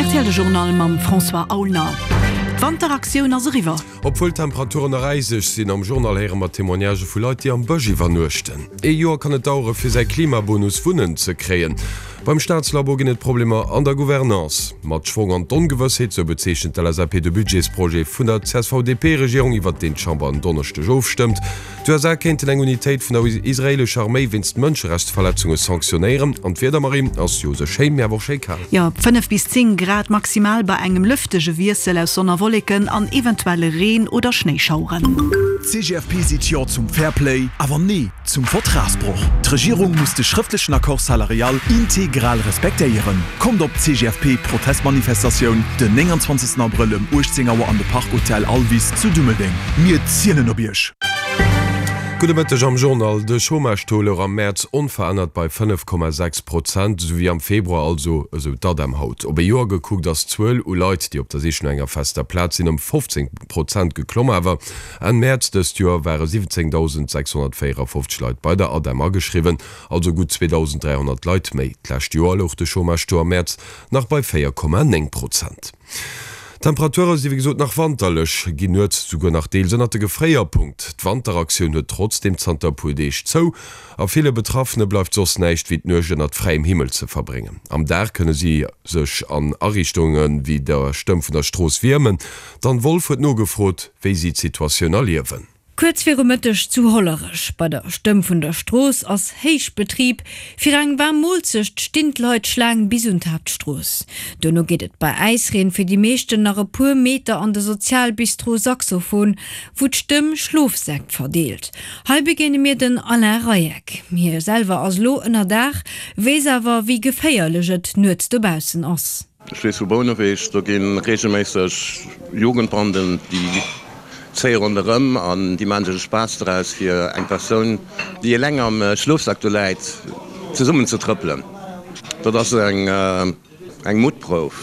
Rtl De Journal mam François Aulner. D'Wanteraktioun ass eriwwer. Obwuel d'Temperaturen nach äiseg sinn, am Journal héiere mer Témoignagë vu Leit, déi am Bësch iwwernuechten. Ee Joer kann et dauere fir säi Klimabonus Wunnen ze kréien. Beim Staatslabo ginn et Problemer an der Gouvernance. Mat Schwong an d'Ongewëssheet, sou bezeechent d'LSAP de Budgetsprojet vun der CSV-DP-Regierung, iwwert deen d'Chamber en Donneschdeg ofstëmmt. D'USA kéinten eng Unitéit vun der israeelescher Arméi wéinst Mënscherechtsverletzunge sanktionéieren. An d'Wieder, Marie, ass jo sou schéi, mee awer och schéi kal. Jo, 5 bis 10 Grad maximal bei engem lëftege Wiessel aus Sonn a Wolleken an eventuelle Reen oder Schnéischaueren. D'CGFP seet Jo zum Fairplay, awer Nee zum Vertragsbroch. D'Regierung muss de schrëftlechen Accord salarial integral respektéieren. Kommt op d'CGFP-Protestmanifestatioun den 29 Abrëll ëm 18 Auer an de Park Hotel Alvis zu Dummeldeng. Mir zielen op Iech! Gudde Mëtteg am Journal. De Chômage-Taux louch am Mäerz onverännert bei 5,6 Prozent, esou wéi am Februar, also esou d'ADEM haut. Op ee Joer gekuckt ass d'Zuel u Leit, déi op der Sich no enger fester Plaz sinn, ëm 15 Prozent geklomm. Awer Enn Mäerz dëst Joer ware 17.654 Leit bei der ADEM ageschriwwen, also gutt 2.300 Leit méi. D'lescht Joer louch de Chômage-Taux am Mäerz nach bei 4,9 Prozent. D'Temperature si wéi gesot nach wanterlech, ginn nuets souguer nach deels ënnert de Gefréierpunkt. D'Wanteraktioun huet trotzdeem zanter e puer Deeg zou a ville Betraffene bleift soss näischt wéi d'Nuecht ënnert fräiem Himmel ze verbréngen. Am Dag kënne si sech an Ariichtunge wéi der Stëmm vun der Strooss wiermen. D'Anne Wolff huet nogefrot, wéi si d'Situatioun erliewen. Kuerz viru Mëtteg zu Hollerech, bei der Stëmm vun der Strooss, ass Héichbetrib. Fir eng waarm Moolzecht stinn d'Leit Schlaang bis un d'Haaptstrooss. Duerno geet et bei Äisreen fir déi meeschten nach e puer Meter an de Sozialbistro Saxophon, wou d'Stëmm Schlofsäck verdeelt. Hei begéine mir den Alain Reieck. Hie selwer ass elo ënnerdaach, weess awer, wéi geféierlech et nuets dobaussen ass. Ech weess vu Bouneweg, do gi reegelméisseg Jugendbanden, déi zéie ronderëm an déi maache sech e Spaass draus, fir eng Persoun, déi eleng am Schlofsak do läit, zesummen ze trëppelen. Dat ass eng Muttprouf,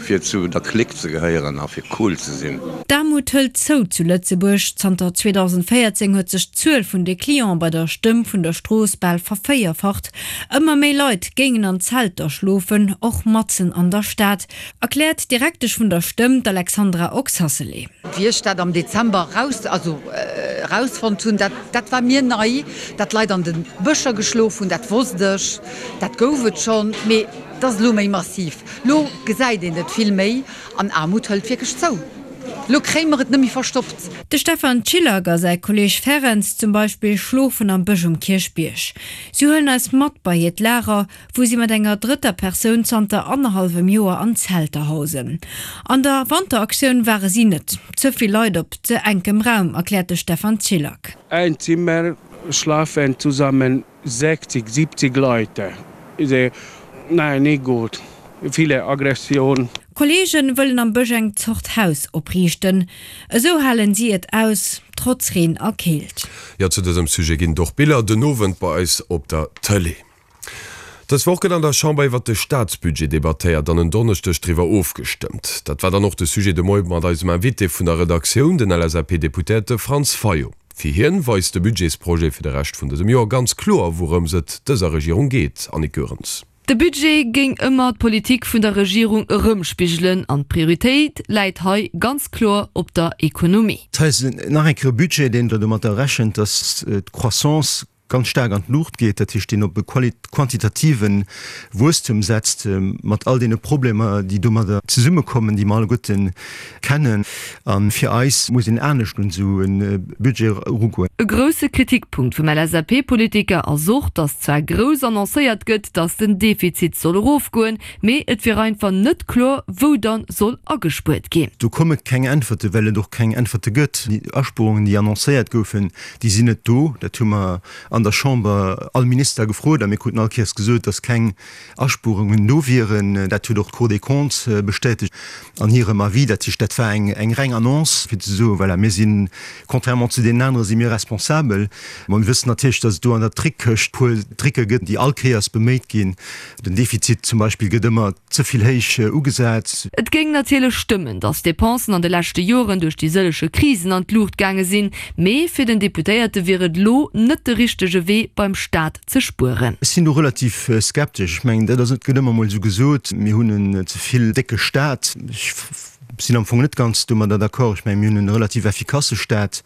fir zu der Clique ze gehéieren a fir cool ze sinn. D'Aarmut hëlt zou zu Lëtzebuerg. Zanter 2014 huet sech d'Zuel vun de Cliente bei der Stëmm vun der Strooss bal vervéierfacht. Ëmmer méi Leit géingen an Zelter schlofen, och matzen an der Stad, erkläert d'Direktesch vun der Stëmm, d'Alexandra Oxacelay. Wéi ech dat am Dezember raus, also rausfonnt hunn, dat, dat war mir nei, datt Leit an de Bëscher geschlof hunn, dat wosst ech, dat gouf et schonn, mee et ass elo méi massiv. Lo gesäit een et vill méi an Aarmut hëlt wierklech zou. Lo kréie mer et net méi verstoppt. De Stefan Csillag a säi Kolleeg Ferenc zum Beispill schlofen am Bësch um Kierchbierg. Si huelen eis mat bei hiert Lager, wou si mat enger drëtter Persoun zanter annerhallwem Joer an Zelter hausen. An der Wanteraktioun ware si net. Ze vill Leit op ze enkem Raum, erkläert de Stefan Csillag. Ein Zimmer schlafen zusammen 60, 70 Leute. Nein, nicht gut. Viele Aggression. Kolleegen wëllen am Bësch eng Zort Haus opriichten. Esou halen si et aus, trotz Reen a Keelt. Jo, zu dësem Sujet ginn et och Biller den Owend bei eis op der Tëlee. Dës Woch gëtt an der Chamber iwwert de Staatsbudget debattéiert an en Donneschdeg driwwer ofgestëmmt. Dat war dann och de Sujet de Moie mat eisem Invité vun der Redaktioun, den LSAP-Deputéierte Franz Fayot. Fir hien weist de Budgetsprojet fir de Rescht vun dësem Joer ganz kloer, wourëms et dëser Regierung geet. Annick Goerens. De Budget géing ëmmer d'Politik vun der Regierung erëmspigelen an d'Prioritéit läit hei ganz kloer op der Ekonomie. Dat ass nach eng Kéier e Budget, deen domatter rechent, datt d'Croissance ganz staark an d'Luucht geet, dat heescht, deen op e quantitative Wuesstum setzt, mat all deene Problemer, déi domadder zesummekommen, déi mer alleguerte kennen. A fir eis muss een anescht un esou e Budget erugoen. E grousse Kritikpunkt vum LSAP-Politiker ass och, datt zwar grouss annoncéiert gëtt, datt den Defizit soll erofgoen, mee et wier einfach net kloer, wou dann soll agespuert ginn. Do komme keng Äntwerte, well et och keng Äntwerte gëtt. Déi Aspuerungen, déi annoncéiert goufen, déi sinn net do. Dat hu mer an der Chamber all Minister gefrot a mir kruten all Kéiers gesot, datt keng Aspuerungen do wieren. Dat huet och d'Cour des Comptes bestätegt an hirem Avis. Dat heescht, dat war eng reng Annonce, fir ze soen, voilà, mir sinn, contrairement zu deenen anere si mir responsabel. Mä mir wëssen natierlech, datt et do an der Trickkëscht e puer Tricke gëtt, déi all Kéiers beméit ginn. Den Defizit zum Beispill gëtt ëmmer ze vill héich ugesat. Et géing natierlech stëmmen, datt d'Depensen an de leschte Joren duerch déi sëllege Krisen an d'Luucht gaange sinn, mee fir den Deputéierte wier et elo net de richtege. richtege Wee beim Staat ze spueren. Ech sinn do relativ skeptesch. Ech mengen, dat ass, et gëtt ëmmer emol esou gesot, mir hunn en ze vill décke Staat. Ech sinn am Fong net ganz domadder d'accord. Ech mengen, mir hunn e relativ effikasse Staat,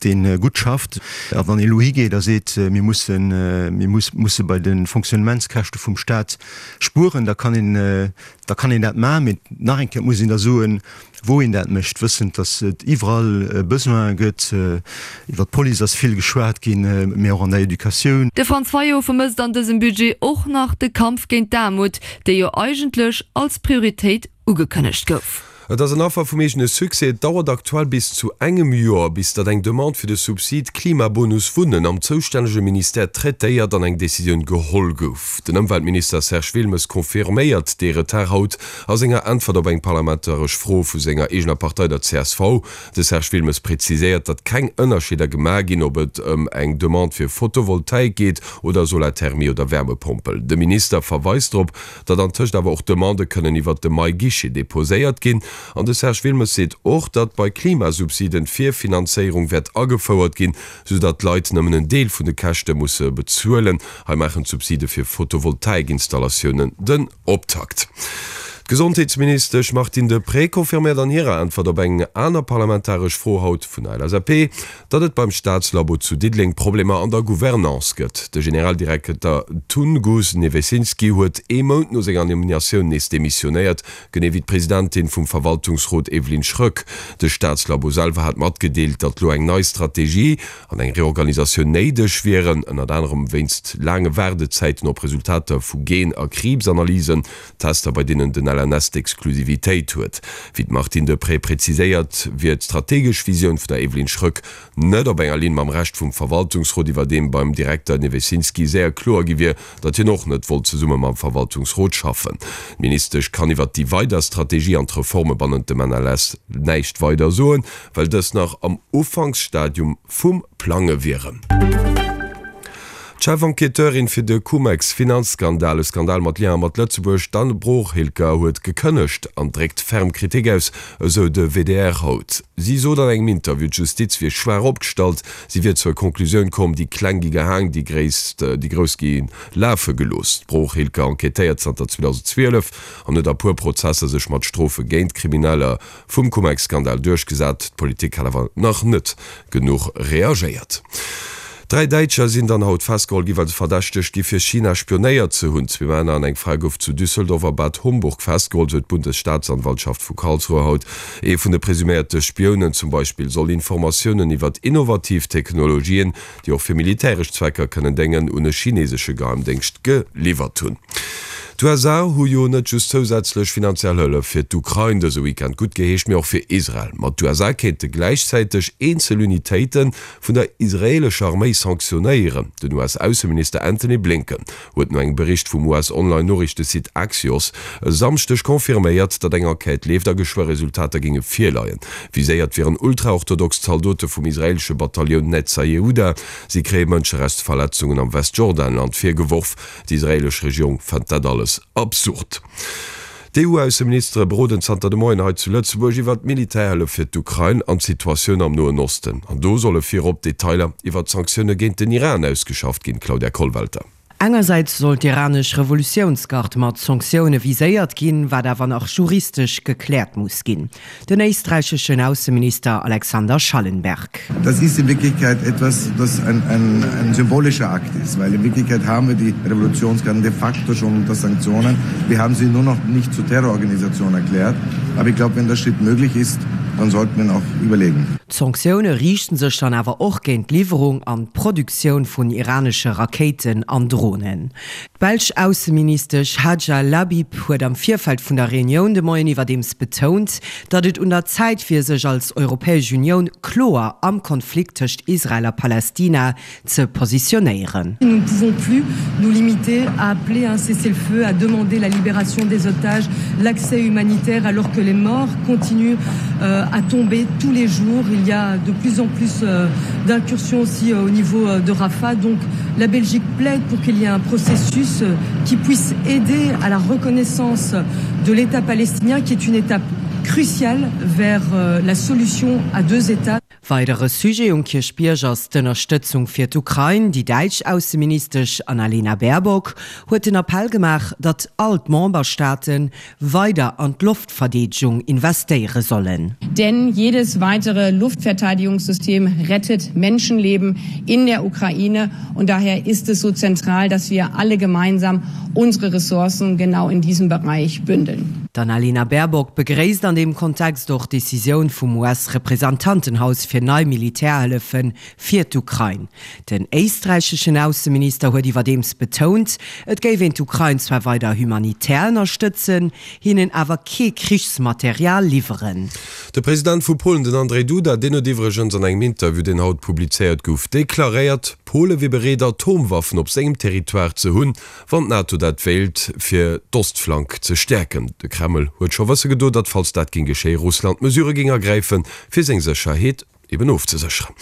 dee gutt schafft. A wann ee elo higeet a seet, mir mussen, mir musse bei de Fonctionnementskäschte vum Staat spueren, da kann een, da kann een dat maachen. Mee nach eng Kéier, et muss een da soen, wou een dat mécht, wëssend, datt et iwwerall Besoine gëtt. Iwwer d'Police ass vill geschwat ginn, mee och an der Educatioun. De Franz Fayot vermësst an dësem Budget och nach de Kampf géint d'Aarmut, dee jo eigentlech als Prioritéit ugekënnegt gouf. Et ass en Affer vum eegene Succès. Et dauert aktuell bis zu engem Joer, bis datt eng Demande fir de Subsid Klimabonus Wunnen am zoustännege Ministère traitéiert an eng Decisioun geholl gouf. Den Ëmweltminister Serge Wilmes confirméiert dee Retard haut A senger Äntwert op eng parlamentaresch Fro vu senger eegener Partei, der csv, de Serge Wilmes präziséiert, datt keng Ënnerscheeder gemaach ginn, ob et ëm eng Demande fir Photovoltaik geet oder Solarthermie oder Wärmepompel. De Minister verweist drop, datt antëscht awer och Demandë kënnen iwwert de MyGuichet deposéiert ginn. An de Serge Wilmes seet och, datt bei Klimasubsiden d'Virfinanzéierung wäert agefouert ginn, sou datt d'Leit nëmmen en Deel vun de Käschte musse bezuelen. Hei maachen d'Subside fir Photovoltaikinstallatiounen den. Optakt. D'Gesondheetsministesch Martine Deprez confirméiert an hirer Äntwert op eng aner parlamentaresch Fro haut vun der LSAP, datt et beim Staatslabo zu Diddeleng Problemer an der Gouvernance gëtt. De Generaldirekter Tunguz Nevesinski huet ee Mount no senger Nominatioun nees demissionéiert, genee wéi d'Presidentin vum Verwaltungsrot Evelyne Schröck. De Staatslabo selwer hat matgedeelt, datt lo eng nei Strategie an eng Reorganisatioun néideg wieren, ënnert anerem wéinst laange Waardezäiten op Resultater vu Gen a Kriibsanalysen, Tester bei deenen den LNS d'Exklusivitéit huet. Wéi d'Martine Deprez präziséiert, wier d'strategesch Visioun vun der Evelyne Schröck net op enger Linn mam Rescht vum Verwaltungsrot, iwwerdeem beim Direkter Nevesinski séier kloer gi wier, datt hien och net wollt zesumme mam Verwaltungsrot schaffen. D'Ministesch kann iwwert déi weider Strategie an d'Reforme bannent dem NLS näischt weider soen, well dës nach am Ufanksstadium vum Plange wieren. D'Chef-Enquêteurin fir de Cum-Ex-Finanzskandal, e Skandal mat Lien'er mat Lëtzebuerg, d'Anne Broghielker huet gekënnegt an dréckt ferm Kritik aus, esou de WDR haut. Si sot an engem Interview, d'Justiz wier schwaach opgestallt, si wier zur Conclusioun komm, déi Kleng gi gehaang, déi Grouss gi lafe gelooss. D'Broghielker enquêtéiert zanter 2012 an huet a puer Prozesser sech mat Strofe géint Krimineller Vum Cum-Ex-Skandal duerchgesat. D'Politik hat awer nach net genuch reagéiert. 3 Däitscher sinn dann haut festgeholl gi well se verdächtegt gi fir China spionéiert ze hunn. Zwee Männer an eng Fra gouf zu Düsseldorf a Bad Homburg festgeholl, sou d'Bundesstaatsanwaltschaft vu Karlsruhe haut. Ee vun de presuméierte Spiounen zum Beispill soll Informatiounen iwwert innovativ Technologien, déi och fir militäresch Zwecker kënnen déngen, un e chinesesche Geheimdéngscht geliwwert hunn. D'USA hu jo net just zousätzlech finanziell Hëllef fir d'Ukrain dëse Weekend guttgeheescht, mee och fir Israel. Ma d'USA kéinte gläichzäiteg eenzel Unitéite vun der israeelescher Arméi sanktionéieren. Den US-Ausseminister Antony Blinken huet no engem Bericht vum US-Online-Noriichtesite Axios e Samschdeg confirméiert, datt eng Enquête leeft a geschwë Resultater géinge virleien. Viséiert wieren ultraorthodox Zaldote vum israeelesche Batallioun Netzah Yehuda. Si kréie Mënscherechtsverletzungen am Westjordanland virgeworf. D'israeelesch Regierung fënnt dat alles absurd. D'EU-Ausseministere beroden zanter de Moien hei zu Lëtzebuerg iwwert d'Militärhëllef fir d'Ukrain an d'Situatioun am Noen Osten. An do solle virop Detailer iwwert d'Sanktioune géint den Iran ausgeschafft ginn, Claudia Kollwelter. Engersäits soll d'iranesch Revolutiounsgard mat Sanktioune viséiert ginn, wat awer nach juristesch gekläert muss ginn. Den éisträicheschen Ausseminister Alexander Schallenberg. Das ist in Wirklichkeit etwas, das ein, ein, ein symbolischer Akt ist, weil in Wirklichkeit haben wir die Revolutionsgarden de facto schon unter Sanktionen. Wir haben sie nur noch nicht zur Terrororganisation erklärt. Aber ich glaube, wenn der Schritt möglich ist, dann sollten wir ihn auch überlegen. D'Sanktioune riichten sech dann awer och géint d'Liwwerung an d'Produktioun vun iranesche Rakéiten an Dronen. D'belsch Ausseministesch Hadja Lahbib huet am Virfeld vun der Reunioun de Moien iwwerdeems betount, datt et un der Zäit wier, sech als Europäesch Unioun kloer am Konflikt tëscht Israel a Palästina ze positionéieren. Nous ne pouvons plus nous limiter à appeler à un cessez-le-feu, à demander la libération des otages, l'accès humanitaire alors que les morts continuent à tomber tous les jours. Il y a de plus en plus d'incursions aussi au niveau de Rafah. Donc la Belgique plaide pour qu'il y ait un processus qui puisse aider à la reconnaissance de l'État palestinien qui est une étape cruciale vers la solution à deux États. Weidere Sujet um Kierchbierg ass d'Ënnerstëtzung fir d'Ukrain. Déi däitsch Ausseministesch Annalena Baerbock huet den Appell gemaach, datt all d'Memberstaate weider an d'Loftverdeedegung investéiere sollen. Denn jedes weitere Luftverteidigungssystem rettet Menschenleben in der Ukraine und daher ist es so zentral, dass wir alle gemeinsam unsere Ressourcen genau in diesem Bereich bündeln. D'Annalena Baerbock begréisst an deem Kontext och d'Decisioun vum US-Representantenhaus fir nei Militärhëllefe fir d'Ukrain. Den éisträicheschen Ausseminister huet iwwerdeems betount, et géif een d'Ukrain zwar weider humanitär ënnerstëtzen, hinnen awer kee Krichsmaterial liwweren. De President vu Polen, den Andrzej Duda, deen huet iwwregens an engem Interview, deen haut publizéiert gouf, deklaréiert, Pole wier bereet Atomwaffen op sengem Territoire ze hunn, wann d'NATO dat wéilt, fir d'Ostflank ze stäerken. De Kreml huet scho wësse gedo, datt falls dat géing geschéien, Russland Mesurë géing ergräifen, fir seng Sécherheet eben ofzesécheren.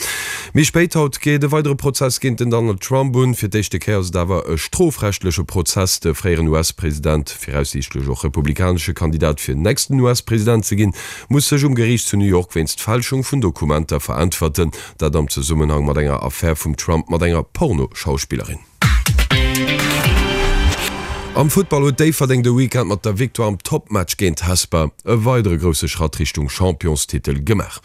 Méi spéit haut geet e weidere Prozess géint den Donald Trump un. Fir d'éischte Kéier ass et awer e strofrechtleche Prozess. De fréieren US-President, viraussiichtlech och republikanesche Kandidat fir nächsten US-President ze ginn, muss sech um Geriicht zu New York wéinst Fälschung vun Dokumenter veräntwerten. Dat am Zesummenhang mat enger Affär vum Trump mat enger Pornoschauspillerin. Am Futtball huet Déifferdeng de Weekend mat der Victoire am Toppmatch géint Hesper e weidere grousse Schratt Richtung Championstitel gemaach.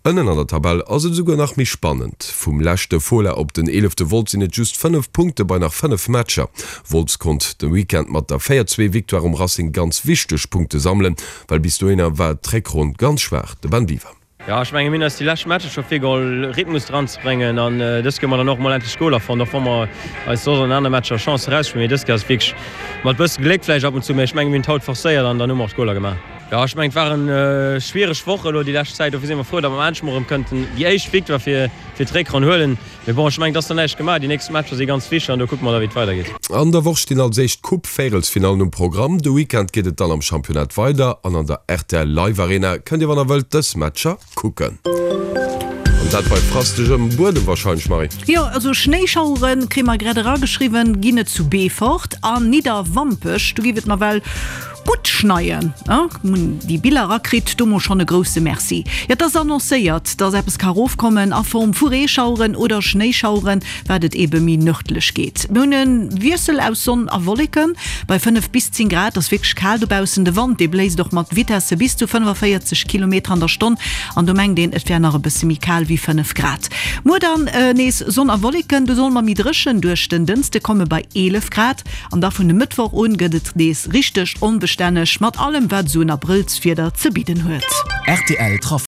Ënnen an der Tabell ass et esouguer nach méi spannend. Vum leschte Fola op den eelefte Wolz sinn et just 5 Punkte bei nach 5 Matcher. Wolz konnt de Weekend mat der 4, 2 Victoire um Racing ganz wichteg Punkte sammelen, well bis dohinner war d'Réckronn ganz schwaach. De Ben Biwer. Jo, ech menge mir hunn eis déi lescht Matcher scho virgeholl Rhythmus dran ze bréngen an dës Kéier hu mer dann och mol endlech Goler fonnt, och wa mer eis soss an anere Matcher Chancen erausspillen. Mee dës Kéier ass et wierklech mat bësse Gléck vläicht ab und zu, mee ech menge mir hunn et haut forcéiert an dann hu mer och d'Goler gemaach. Jo, ech mengen et waren schwiereg Woche elo déi lescht Zäit, dofir si mer frou, datt mer endlech mol erëm kënnten déi éischt Victoire fir fir d'Réckronn huelen. Mee bon, ech mengen et ass nach näischt gemaach, déi nächst Matcher si ganz wichteg an do kucke mer da wéi et weidergeet. An der Woch stinn als éischt d'Coupe-Véierelsfinallen um Programm. De Weekend geet et dann am Championnat weider an an der rtl Live Arena kënnt Dir wann der wëllt dës Matcher kucken. An dat bei frastegem Buedem wahrscheinlech, Marie? Jo, also Schnéischaueren, kréie mer grad erageschriwwen, ginn et zu Beefort an Nidderwampech. Do géif et nawell Gutt schneien, hunn déi Biller erakritt, do mol schonn e grousse Merci. Jo, et ass annoncéiert, dass eppes ka rofkommen a Form vu Reeschaueren oder Schnéischaueren, wat et ebe méi nërdlech geet. Mir hunn e Wiessel aus Sonn a Wolleken bei 5 bis 10 Grad. Ass wierklech kal dobaussen. De Wand, dee bléist och mat Vitesse bis zu 45 Kilometer an der Stonn an do mengt een, et wär nach e bësse méi kal wéi 5 Grad. Muer dann nees Sonn a Wolleken, do soll mer méi dréchen duerch den Dënste komme bei 11 Grad. An da vun e Mëttwoch un gëtt et nees richteg onbestänneg, mat allem wat esou en Abrëllswieder ze bidden huet. Rtl Trafic.